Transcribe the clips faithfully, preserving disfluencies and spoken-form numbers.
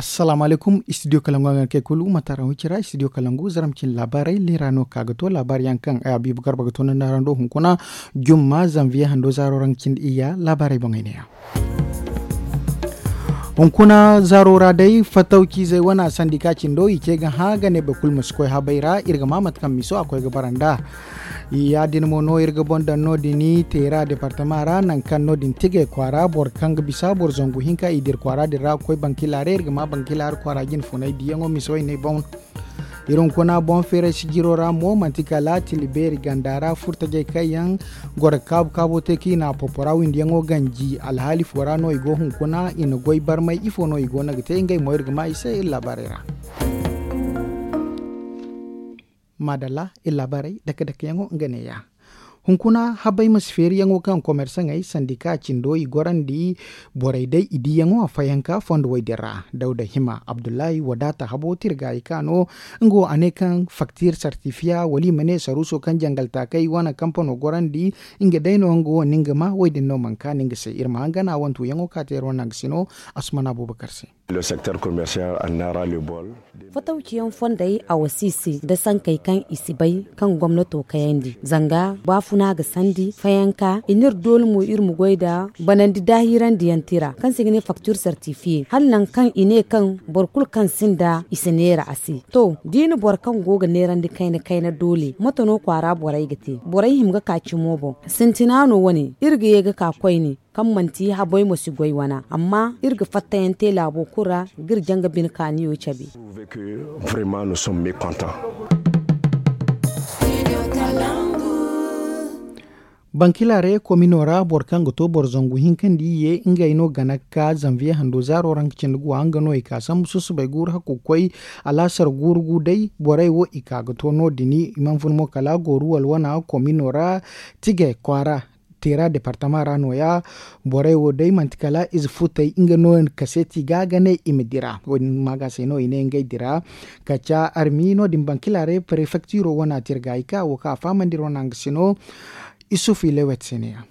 Salaamu alaykum, istidiyo kalangu a ga kay kulu mataara hucira istidiyo kalangu zaram cin laabaarey leera no ka ga to laabaari yaŋ kaŋ ay abiibu garba ga to nda naarando hunkuna jumma zanviye hando zaaro raŋ cindi iyya laabaarey boŋey neeya. Hunkuna zaaro ra day fatawciizey wana sandika cindo i ce ga hã ga ne boro kulu ma si koy habay ra iri ga ma mate kaŋ miso a koy ga bara nd'a. Ya- din mo no iri ga boŋ daŋ no- din teera departama ra nangu kaŋ no- din tigay kwaara boro kaŋ ga bisa boro zangu hinka i dira kwaara din ra ga koy bankila ra iri ga ma bankila ra kwaara jine funay diyaŋo miso i ne boŋ. Iri hunkuna boŋ feeray sijiro ra mo manti kala tila beeri ganda ra furtajey kaŋ yaŋ goro ga kaabu kaabo te kaŋ i na a popora windiyaŋo ganji alhaali fo ra no i go hunkuna i na goy barmay ifo no i go no ga te ngey mo iri ga ma i se iri laabaarey ra. Maadalla iri laabaarey dake dakeyaŋo nga neeya. Hunkuna habay ma si feeriyaŋo kaŋ komersaŋey sandika cindo i gorandi borey day i diyaŋo a fayanka fondo way din ra dawda hima abdullahi wadaata habo tirgaayi ka no. Nga wo a ne kaŋ faktir sartifiya wala i ma ne saruuso kaŋ jangal taakay wane kampano gorandi nga day no nga wo na nga ma wo- din no mana kaanu nga se iri ma hangana wantuyaŋo ka te iri wane nangu sino. Asumana abubakar se. Fatawciyaŋ fondey a wasi i se nda sankey kaŋ i si bay kaŋ gomnato kayandi zanga baafuna ga sandi fayanka i n'iri dooli mo iri ma goy nda banandi daahirandiyaŋ tira kaŋ se i ga ne faktir sartifiye hala nangu kaŋ i ne kaŋ boro kulu kaŋ sinda i si neera a se. To da i na boro kaŋ go ga neerandi kayna kayna doole mate no kwaara borey ga te borey hima ga ka cimo boŋ sintina no wane iri ga ye ga ka koyne kaŋ manti habey mo si goy wana amma iri ga fattayaŋ te laabo kulu ra ga iri jaŋ ga bine kaaniyo cabe. Bankilare komino ra boro kaŋ ga to boro zangu hinka nda iyye ngey no gana ga ka zanviye hando zaaro ra nga cindi guwa nga no i ka sambu susubay guuru hakku ga koy alaasar guuru gu day borey wo i ka ga to no- din i mana fun mo kala gooru walwana komino ra tige kwaara teera departama ra nooya. Borey wo day manti kala ize futey nga no kaseeti ga ga ne i ma dira wo- din ma ga se no i ne ngey dira. Kaca armi no- din bankilare prefektiro wana te iri ga ay ka wo kaŋ a fahamandi iri wana nga se no. Isufu ilewet se ne ya.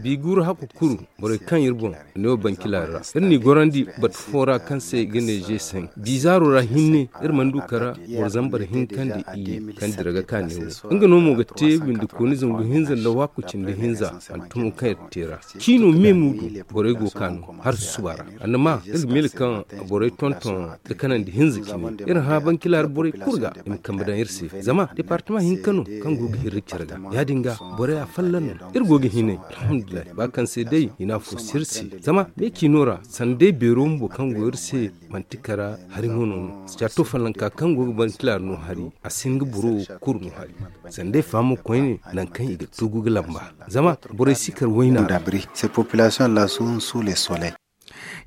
Bi guuru hakku kuru borey kaŋ iri boŋ ne wo bankila ra iri n'i gorandi batu fo ra kaŋ se i ga ne zeesaŋ bizaaro ra hinne iri mana du kara boro zambar hinka nda iyye kaŋ dira ga ka ne wo nga no mo ga te windikooni zangu hinza nda waaku cindi hinza hantumo kaŋ iri te ra ciino me muudu borey go ga ka no har susuba ra annama iri ga miila kaŋ borey tonton da kanandi hinza cine iri hã bankila ra borey kulu ga i ma kambe daŋ iri se zama departama hinka no kaŋ go ga hirri care ga ya- din ga borey afolloŋ no iri go ga hinay alhamdulillahi ba kaŋ se day i na afo si iri se zama me ciino ra sanda day beero bumbo kaŋ go iri se manti kara hari mo no no sicaato follonka kaŋ go ga bankila ra no hari a si hin ga boro kuru no hari sanda day fahamo koyne nangu kaŋ i ga tugu ga lamba zama borey si kar wayna ra.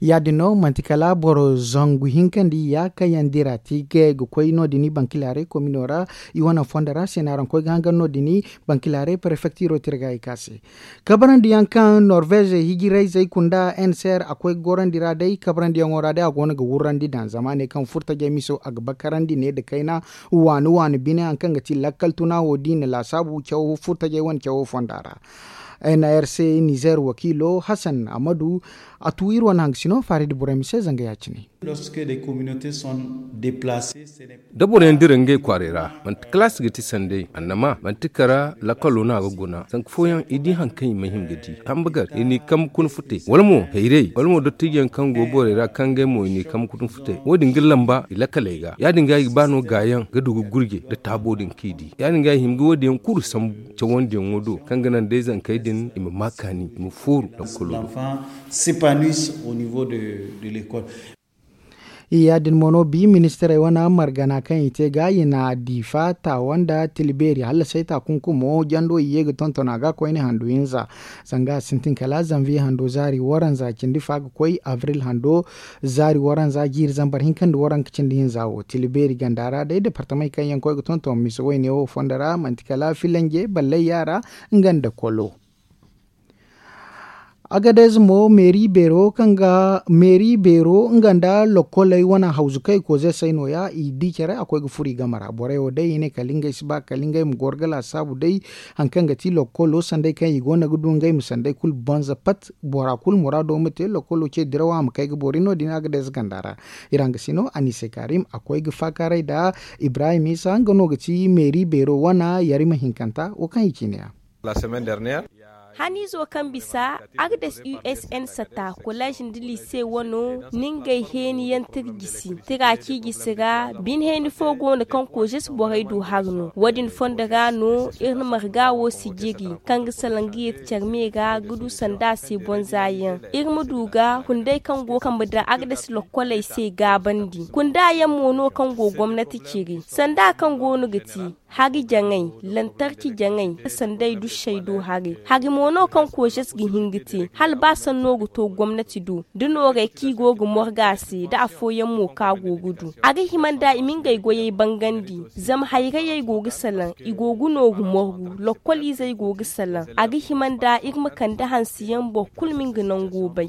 Ya- din no manti kala boro zangu hinka nda iyya kaŋ yaŋ dira tiigay ga koy no- din bankilaaray komino ra i wane fondo ra se no araŋ koy ga hangan no- din bankilaaray prefektiro te iri ga i ka se kabarandiyaŋ kaŋ norvez hijirayzey kunda nser a koy ga gorandi ra day kabarandiyaŋo ra day a go no ga wurrandi daŋ zama a ne kaŋ furtajey miso a ga bakarandi ne nda kayna waani waani bine hari kaŋ ga ti lakkal tuna wo da i na laasaabu caw furtajey wane cawo fonda ra. N R C nizer wakiilo hasan amadu a tu iri wane hangasino faari nda borey ma se zanga ya- cine. Da boro yaŋ dira ngey kwaaray ra manti kalaasi ga ti sanday annama manti kara lakkalo no a ga guna zanka fooyaŋ i di hari kaŋ i ma hima ga di kambe gar i n'i kambe kuna futay wala mo hayray wala mo dottijo yaŋ kaŋ go borey ra kaŋ ngey mo i n'i kambe kuna futay wo- din ga lamba i lakkaley ga ya- din ga i ga ba no gaayaŋ ga du ga gurje nda taabo din kaŋ i di ya- din ga i hima ga wo- din yaŋ kulu sambu cawandiyaŋo do kaŋ ga naŋ day zankey din i ma ma kaani i ma fooru lakkalo do. Ya- din mo no bi ministirey wane margana kaŋ i te ga i na diifa taawa nda tila beeri hallasay taakunkumo jando i ye ga tonton a ga koyne handu hinza zanga a sintin kala zanviye hando zaari waranza cindi fa ga koy abril hando zaari waranza jiiri zambar hinka nda waranka cindi hinza wo tila beeri ganda ra day departamey kaŋ yaŋ koy ga tonton mise wayne wo fondo ra manti kala filanje ballay yaara nga nda kolo. Agadez mo meeri beero kaŋ ga meeri beero nga nda lokkoley wane hawzu kaŋ i koze say nooya i di care a koy ga furo i game ra borey wo day i ne kala ngey si ba kala ngey ma goro ga laasaabu day. Hari kaŋ ga ti lokkolo sanday kaŋ i go no ga du ngey ma sanday kulu banza pat bora kulu muraado ma te lokkolo ce diraw a ma kay ga boori no- din agadez ganda ra. Ira nga si no anise karim a koy ga faakaaray nda ibrahim isa nga no ga ti meeri beero wane yarima hinkanta wo kaŋ i ciine yaŋ. Haniizo kaŋ bisa agdes usn sata kolleez nda lise wano, ni ngey heeni yaŋ tira jisi tira ciijisi ra. Bine heeni fo go no kaŋ koozes borey du hari no wo- din fondo ra no iri na marga wo sijiri kaŋ ga salaŋ ga yeeti care me ra ga du sanda se bonza yaŋ. Iri ma du ga hunday kaŋ go kambe nda agdes lokkoley se gaabandi kunda yaŋ mo no kaŋ go gomnati ciri sanda kaŋ go no ga ti hari jaŋay, lantarki jaŋay, sanday dusey do haray hari mo no kaŋ koozes ga hin ga te hala ba sanno ga to gomnati do da noorey kaŋ i go ga morga se nda afooyaŋ mo kaŋ a go ga du. A ga hima nda i ma ngey goyey bangandi zama hayrayey go ga salaŋ i go ga nooru morgu lokkol izey go ga salaŋ a ga hima nda iri ma kande hanse yaŋ boro kulu ma nga nango bay.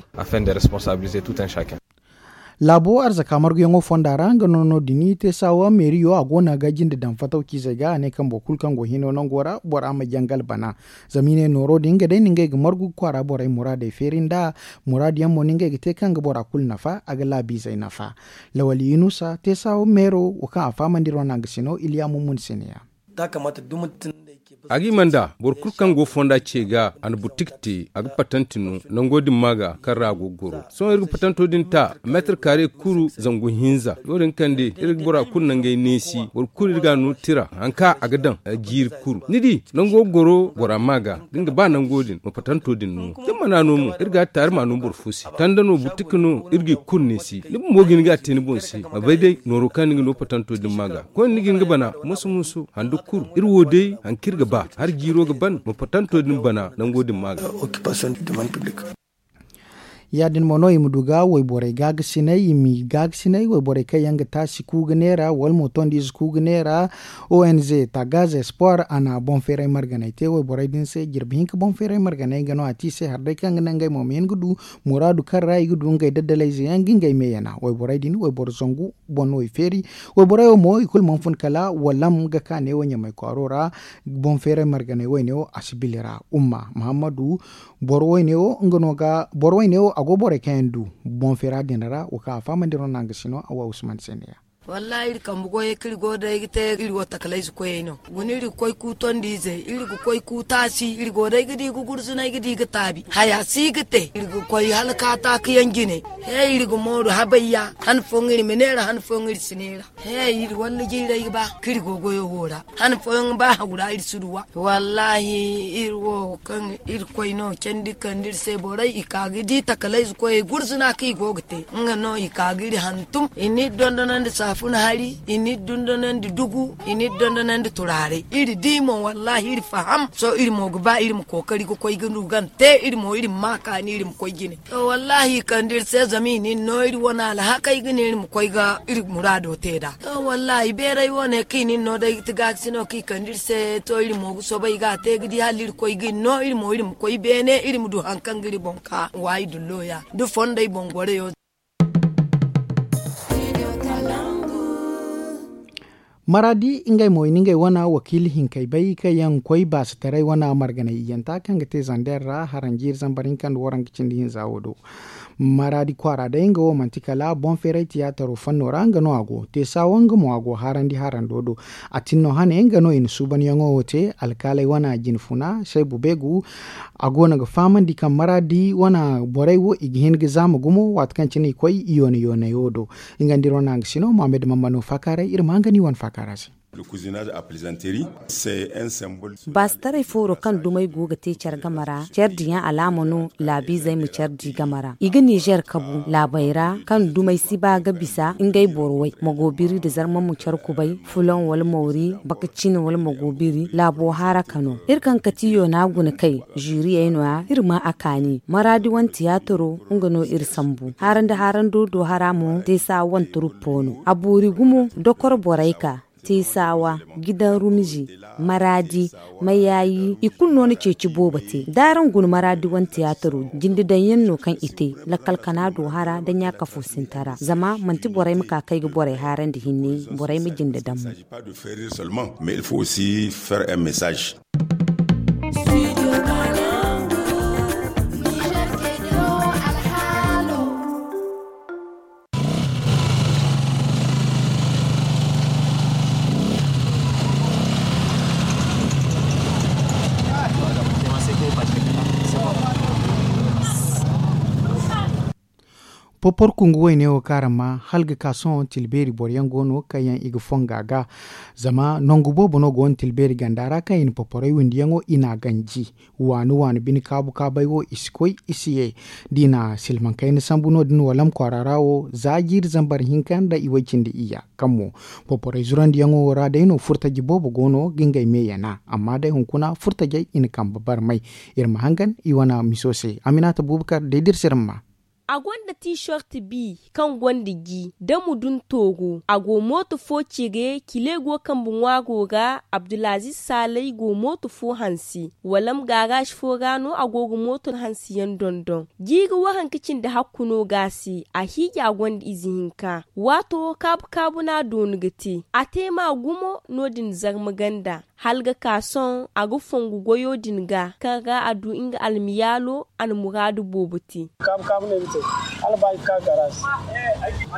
Laabo arzaka marguyaŋo fonda ra nga no no- din te saawa meeriyo a go no ga jinde daŋ fataw ciizey ga a ne kaŋ boro kulu kaŋ go hino nango ra bora ma jangal bana. Zama i ne nooro din nga day no ngey ga margu ga kwaara borey muraadey feeri nda muraadu yaŋ mo no ngey ga te kaŋ ga bora kulu nafa a ga laabiizey nafa. Lawal yunusa te saawa meero wo kaŋ a fahamandi iri wane a ga sino iliya mummun se ne- ya. A ga hima nda boro kulu kaŋ go fonda ce ga a na butik te a ga patanti no nango din ma ga kaŋ ra a go ga goro sohõ iri ga patanto din ta meetar kaare kuru zangu hinza no- din kaŋ day iri ga bora kulu nangey neesi boro kulu iri ga a no tira hari kaŋ a ga daŋ jiiri kuru ni di nango ga goro bora ma ga da nga ba nango din ma patanto din no da ni mana no mo iri ga a taari ma no boro fo se tanda no butik no iri ga i kulu neesi ni bumbo ga hin ga a te ni boŋ se ma bay day nooro kaŋ ni ga no patanto din ma ga koyne ni ga hin ga bana moso moso handu kulu iri wo day hari kaŋ iri ga ba hari jiiro ga ban ma patanto din bana nango din ma ga. Ya- din mo no i ma du ga wayborey gaagasinay i ma i gaagasinay wayborey kaŋ yaŋ ga taasi ku ga neera wala mo tondi ize ku ga neera. Ong tagaz espoir a na boŋ feeray marganay te wayborey din se jirbi hinka boŋ feeray marganay nga no a te i se hari day kaŋ ga naŋ ngey mo ma hin ga du muraadu kaŋ ra i ga du ngey daddalayze yaŋ ga ngey me yana wayborey din wayboro zangu boŋ no i feeri. Wayborey wo mo i kulu mana fun kala walam ga ka neewo ɲamay kwaaro ra. Boŋ feeray marganay wayne wo a si bile ra umma muhammadu. Boro wayne wo nga no ga boro wayne wo a go borey kaŋ yaŋ du boŋ feera din ra wo kaŋ a fahamandi no naŋ ga si no a wa usman se ne ya. Wallahi iri kambe goyey kaŋ iri go day ga te iri wo takalayze koyey no guna iri ga koy ku tondi ize iri ga koy ku taasi iri go day ga di ga gursunay ga di ga taabi haya si ga te iri ga koy hala kaataaka yaŋ jine. He iri ga mooru habay ya han fooyaŋ iri ma neera han fooyaŋ iri si neera. He iri walla jiiray ga ba kaŋ iri go goyo wo ra han fooyaŋ ba hagu ra iri si du wa wallahi iri wo kaŋ iri koy no candi kande iri se borey i ka ga di takalayze koyey gurzuna kaŋ i go ga te nga no i ka ga iri hantum i na iri dondonandi saafuna hari i na iri dondonandi dugu i na iri dondonandi turaaray iri di mo wallahi iri faham sohõ iri mo ga ba iri ma kookari ga koy ga du gante iri mo iri ma ma kaani iri ma koy jine. To wallahi i kande iri se zama i na iri no iri wane alhakey ga ne iri ma koy ga iri muraado te nd'a. To wallahi beeray wo ne kaŋ i na iri no day ga ti gaakasino kaŋ i kande iri se to iri mo ga soobay ga a te ga di hala iri koy ga iri no iri mo iri ma koy beene iri ma du hari kaŋ ga iri boŋ ka waayi dullo ya da fondey boŋ goroyo. Maraadi ngey mo i na ngey wane wakiila hinkey bay kaŋ yaŋ ga koy baasataray wane marganay iyanta kaŋ ga te zander ra haranjiiri zambar hinka nda waranka cindi hinza wo do. Maraadi kwaara day nga wo manti kala boŋ feeray tiyaataro fanno ra nga no a go te saawa nga mo a go haarandi haarando do. A tin no hane nga no i na suubanyaŋo wo te alkaaley wane jinfuna saybu beegu. A go no ga fahamandi kaŋ maraadi wane borey wo i ga hin ga zaama gumo waati kaŋ cine i koy i yoone yooneyo do. Nga nda iri wane a ga sino mohammed mammano faakaaray iri ma nga no i wane faakaara se. Baasitaray fooro kaŋ dumey go ga te care game ra care diyaŋ alaama no laabiizey ma care di game ra i ga nizer kabu laabey ra kaŋ dumey si ba ga bisa ngey borowey magoobiri nda zarma ma care kubay fuloŋ wala mawri bakacin wala magoobiri laabo haara ka no iri kaŋ kati yoona guna kay zuriyey no- ya iri ma a kaani maraadi wane tiyaataro nga no iri sambu haarandi haarando do hara mo te sa wane turuppo no a boori gumo dokor borey ka Teesawa, gidan rumzi, maraadi, mayaayi, i kulu no na ceeci boobo te. Da araŋ guna maraadi wane tiyaataro, jinde daŋ yaŋ no kaŋ i te, lakkal kana do hara nda ɲaakafo sintara. Zama manti borey ma ka kay ga borey haarandi hinne, borey ma jinde daŋ mo. Popor kungu wayne wo kaŋ araŋ maa hala ga ka sohõ tilbeeri boro yaŋ go no kaŋ yaŋ i ga fonga ga. Zama nangu boobo no go no tilbeeri ganda ra kaŋ i na poporay windiyaŋo i n'a ganji. Waani waani bine kaabu kaabay wo i si koy i si ye. Da i na silmaŋ kayna sambu no- din walam kwaara ra wo za jiiri zambar hinka nda i way cindi iyya kaŋ mo poporay zurandiyaŋo wo ra day no furtaji boobo go no ga ngey me yana. Amma day hunkuna furtajey i na kambe barmay. Iri ma hangan i wane miso se. Aminata bubakar day da iri si iri ma maa. A gonda tiisort bi kaŋ gonda ji da mudun tooru. A go mooto fo cire kile go kambe ŋwaaro ra. Abdulaziz saalay go mooto fo hanse. Walam gaaraaz fo ra no a go ga mooto hanse yaŋ dondon. Jiiri waranka cindi hakku no ga a se. A hiiji a gonda ize hinka. Waato kaabu kaabu no a doonu ga te. A te ma gumo no- din zarma ganda. Hala ga ka sohõ a ga fongu goyo din ga kaŋ ra a du nga almiyaalo. A na muraadu boobo te. Kaabu kaabu no ay ga te. Hala ba ay ga ka garaas.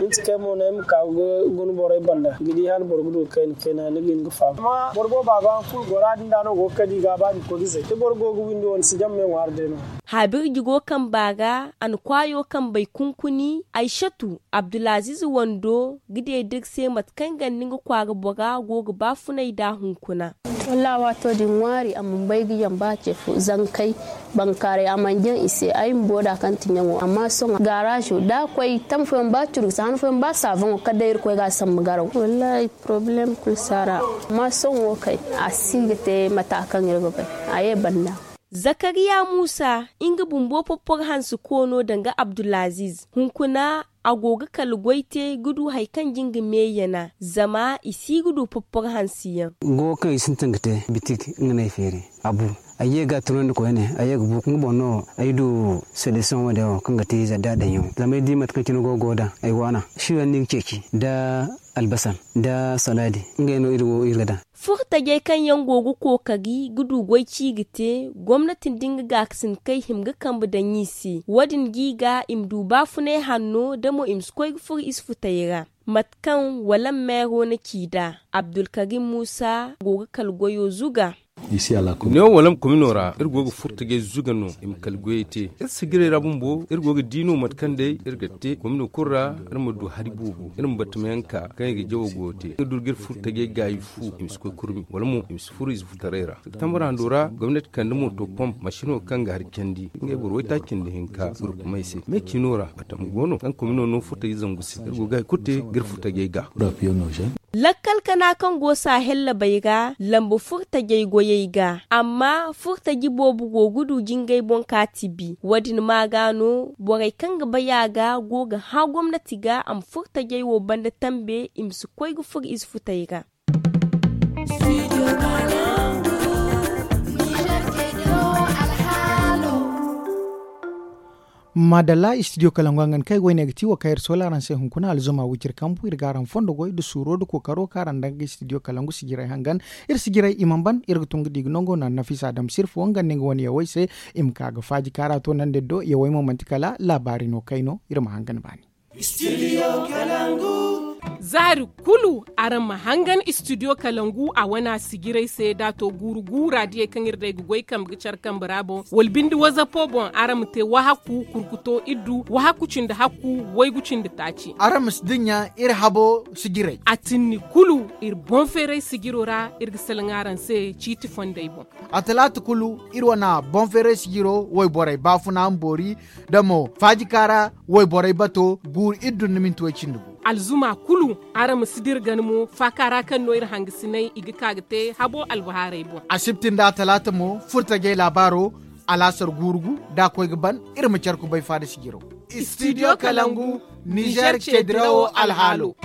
Ni ti kay mo no ay ma ka ga guna borey banda ga di hala boro ga du ga kayna kayna ni ga hin ga faamu. Amma boro boobo a ga han kulu gora din da no go ga kadi ga ba ni koy ga zay da boro go ga windi wane si jammey ŋwaari day no. Haabirji go kamba ra. A na kwaayo kambey kunkuni. Aysatu abdulaziz wando ga deed'iri se mate kaŋ ganda nga kwaara bora go ga baafunay nd'a hunkuna. Wallaahi waato din ŋwaari a mana bay ga yaŋ ba ce fo zankey bankaaray a mana jaŋ i se ay bumbo da kaŋ ti ɲaŋo amma sohõ gaaraazo da a koy tamma fooyaŋ ba curgusa han fooyaŋ ba saaboŋo kala day irkoy ga a sambu garaw wallaahi porobalem kulu si a ra. Amma sohõ wo kay a si ga te mata kaŋ iri ga bay. A ye banda. Zakariya muusa nga bumbo popporo hanse koono danga abdulaziz hunkuna a go ga kala goy te ga du hari kaŋ jin ga meeyana zama i si ga du popporo hanse yaŋ. Go kaŋ i sintin ga te bitik nga no ay feeri a bu. Ay ye ga a tunandi koyne ay ye ga bu nga boŋ no ay du solution wo- din wo kaŋ ga te ize da daŋ yaŋo zama ay di mate kaŋ cine go ga go daŋ ay waana. Siyo yaŋ no i ga ceeci nda albasan nda salaadi. Ngey no iri wo iri ga daŋ. Furtajey kaŋ yaŋ go ga kookari ga du goy ci ga te gomnati nda nga gaakasin kay hima ga kambe daŋ i se wo- din ga i ga i ma du baafunay hanno da mo i ma si koy ga furo i si futay ra. Mate kaŋ walam meero na ci nd'a abdulkarim muusa go ga kala goyo zuga. Neewo walam komino ra iri go ga furtajey zuga no i ma kala goyey te. Iri sijirey ra bumbo iri go ga di no mate kaŋ day iri ga te komino kulu ra. Iri ma du hari boobo iri ma batamayaŋ ka kaŋ i ga jawo goyo te nga du ga iri furtajey gaayi fu i ma si koy kurmi wala mo i ma si furo ize futaray ra. Septambur hando ra gomnati kande mooto pomp masino kaŋ ga hari candi ngey boro waytaaci nda hinka gurkumey se me ciino ra batama go no kaŋ komino no furtajey zangu se iri go ga hari kulu te ga iri furtajey ga. Lakkal kana kaŋ go saahel labey ra lambu furtajey goyey ga amma furtaji boobo go ga du jingay boŋ ka tibi wo- din ma ga no borey kaŋ ga bay a ga go ga hã gomnati ga a ma furtajey wo banda tambe i ma si koy ga furo ize futey ra. Maadalla istidiyo kalangu a ga ni kay goy ne ga ti wo kaŋ iri soola araŋ se hunkuna alzuma wiciri kambu iri ga araŋ fondo goy nda suuro nda kookaro kaŋ araŋ daŋ ga istidiyo kalangu sijirey hangan. Iri sijirey i mana ban iri ga tun ga di ga nango naŋ nafisa dam sirfo nga nda nga wane yawey se i ma ka ga faaji kaara to naŋ da iri do yawey mo manti kala laabaari no kay no iri ma hangan baani. Zaari kulu araŋ ma hangan istidiyo kalangu a wana sijirey se da a to guuru guura diyey kaŋ iri day ga goy kambe ga care kambe ra boŋ wala binde wazapo boŋ araŋ ma te wahakku kurkuto iddu wahakku cindi hakku waygu cindi taaci. Araŋ ma si dinya iri habo sijirey a tinni kulu iri boŋ feeray sijiro ra iri ga salaŋ araŋ se ciiti fondey boŋ. A talaata kulu iri wana boŋ feeray sijiro wayborey baafuna ma boori da mo faajika ra wayborey bato guuru iri dunna minti way cindi gu. Alzuma kulu araŋ ma si dira gana mo faaka ra kaŋ no iri hangasinay i ga ka ga te habo albahaarey boŋ. Asibti nda talaata mo furtajey laabaaro alaasar guuru gu da a koy ga ban iri ma care kubay faada sijiro. Istidiyo kalangu nizer ceedirawo alhaalo.